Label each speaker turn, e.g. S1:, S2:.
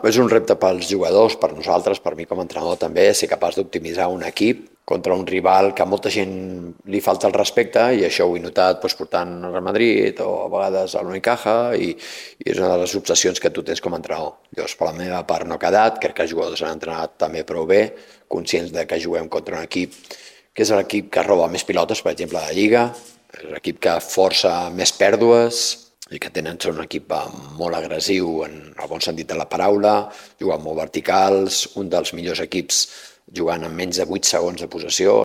S1: És un repte pels jugadors, per nosaltres, per mi com a entrenador també, ser capaç d'optimitzar un equip contra un rival que a molta gent li falta el respecte, i això ho he notat portant al Real Madrid o a vegades a l'Unicaja, i és una de les obsessions que tu tens com a entrenador. Llavors, per la meva part no ha quedat, crec que els jugadors han entrenat també prou bé, conscients de que juguem contra un equip que és l'equip que roba més pilotes, per exemple, a la Lliga, és l'equip que força més pèrdues, i que són un equip molt agressiu en el bon sentit de la paraula, jugant molt verticals, un dels millors equips jugant en menys de 8 segons de possessió.